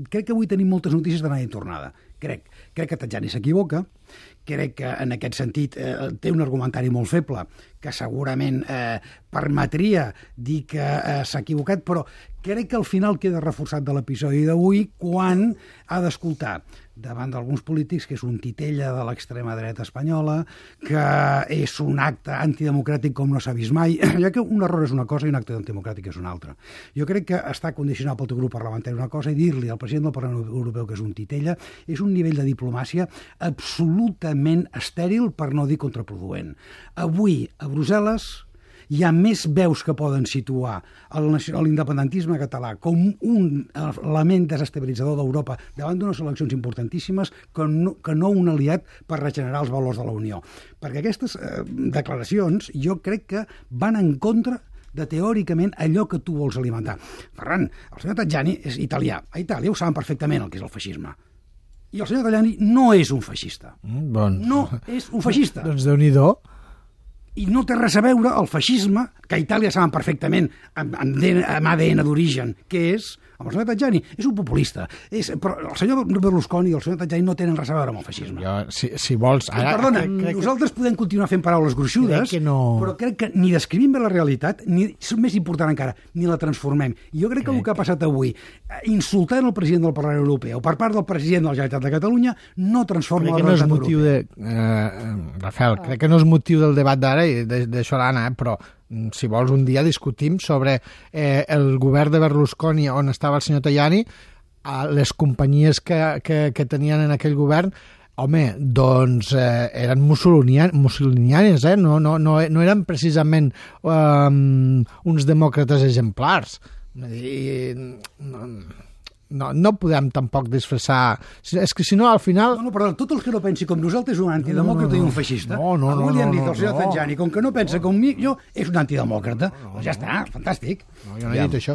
crec que avui tenim moltes notícies d'anada i tornada. Crec que Tajani s'equivoca, crec que en aquest sentit té un argumentari molt feble que segurament permetria dir que s'ha equivocat, però crec que al final queda reforçat de l'episodi d'avui quan ha d'escoltar davant d'alguns polítics que és un titella de l'extrema dreta espanyola, que és un acte antidemocràtic com no s'ha vist mai, ja que un error és una cosa i un acte antidemocràtic és una altra. Jo crec que està condicionat pel teu grup parlamentari una cosa i dir-li al president del Parlament Europeu que és un titella és un nivell de diplomàcia absolutament estèril, per no dir contraproduent. Avui, a Brussel·les, hi ha més veus que poden situar l'independentisme català com un element desestabilitzador d'Europa davant d'unes eleccions importantíssimes que no un aliat per regenerar els valors de la Unió. Perquè aquestes declaracions jo crec que van en contra de teòricament allò que tu vols alimentar. Ferran, el senyor Tajani és italià. A Itàlia ho saben perfectament el que és el feixisme. I el senyor Tajani no és un feixista. No és un feixista. Doncs Déu-n'hi-do. I no té res a veure el feixisme, que a Itàlia saben perfectament amb ADN d'origen, que és amb el senyor Tajani. És un populista. Però el senyor Berlusconi i el senyor Tajani no tenen res a veure amb el feixisme. Si vols... Perdona, nosaltres podem continuar fent paraules gruixudes, però crec que ni descrivim bé la realitat, ni, més important encara, ni la transformem. I jo crec que el que ha passat avui, insultant el president del Parlament Europeu per part del president de la Generalitat de Catalunya, no transforma la realitat europea. Rafael, crec que no és motiu del debat d'ara i d'això l'Anna, però si vols un dia discutim sobre el govern de Berlusconi on estava el senyor Tajani, les companyies que tenien en aquell govern, home, doncs eren mussolinianes, no eren precisament uns demòcrates exemplars. No podem tampoc disfressar... És que si no, al final... No, però tot el que no pensi com nosaltres és un antidemòcrata i un feixista. Avui li han dit al senyor Tajani, com que no pensa com mi, jo és un antidemòcrata. Doncs ja està, fantàstic. No, jo no he dit això.